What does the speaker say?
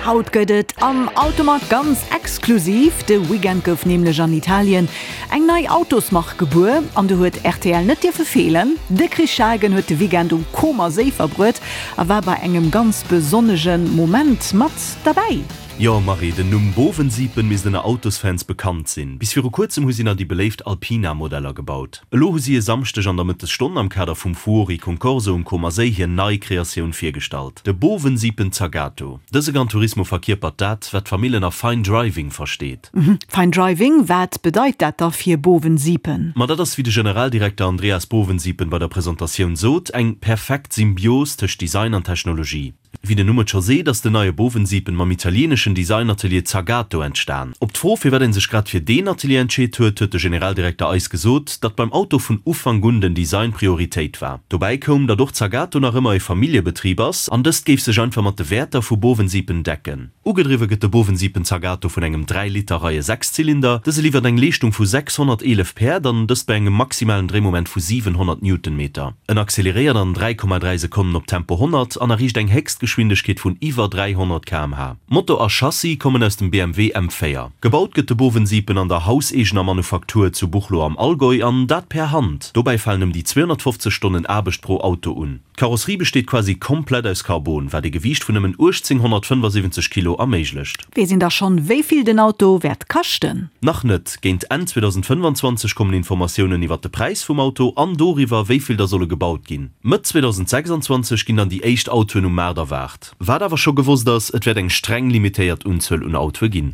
Haut gëtt et am Automag ganz exklusiv. De Weekend gouf nämlech an Italien eng nei Autosmark gebuer an do huet rtl net dierfe feelen. De Chris Schagen huet de Weekend um Comer Séi verbruet a war bei engem ganz besonnege Moment mat derbäi. Jo Marie, den Numm Bovensiepen misst ënner Autosfans bekannt sinn. Bis viru kuerzem hu si nach déi beléift Alpina-Modeller gebaut. Elo hu si e Samschdeg an der Mëttesstonn am Kader vum Fuori Concorso um Comer Séi hir nei Kreatioun virgestallt, de Bovensiepen Zagato. Dëse Gran Turismo verkierpert dat, wat d'Famill ënner Fine Driving versteet. Fine Driving, wat bedeit dat da fir Bovensiepen? Ma dat ass, wéi de Generaldirekter Andreas Bovensiepen bei der Presentatioun sot, eng perfekt Symbios tëscht Design an Technologie. Wéi den Numm et scho seet, ass den neie Bovensiepen mam italieeneschen Designatelier Zagato entstan. Op d'Fro, firwat ee sech grad fir deen Atelier entscheet huet, huet de Generaldirekter eis gesot, datt beim Auto vun Ufank un den Design Prioritéit war. Dobäi koum, datt och Zagato nach ëmmer e Familljebetrib ass an dëst géif sech einfach mat de Wäerter vu Bovensiepen decken. Ugedriwwe gëtt de Bovensiepen Zagato vun engem 3 Liter Reie Sechszylinder. Dëse liwwert eng Leeschtung vu 611 Päerd an dëst bei engem maximalen Dréimoment vu 700 Newtonmeter. En acceleréiert an 3,3 Sekonnen op Tempo 100 an erreecht eng Héchstgeschwindegkeet vun iwwer 300 km/h. Motor a Chassis kommen aus dem BMW M4. Gebaut gëtt de Bovensiepen an der hauseegener Manufaktur zu Buchloe am Allgäu an dat per Hand. Dobäi falen ëm déi 250 Stonnen Aarbecht pro Auto un. D'Karosserie besteet quasi komplett aus Carbon, wat ee Gewiicht vun nëmmen 1875 Kilo erméiglecht. Weess een da schonn, wéi vill den Auto wäert kaschten? Nach net. Géint Enn 2025 kommen Informatiounen iwwer de Präis vum Auto an doriwwer, wéi vill der solle gebaut ginn. Mëtt 2026 ginn dann déi éischt Autoen um Maart erwaart. Wat awer scho gewosst ass, et wäert eng streng limitéiert Unzuel un Autoe ginn.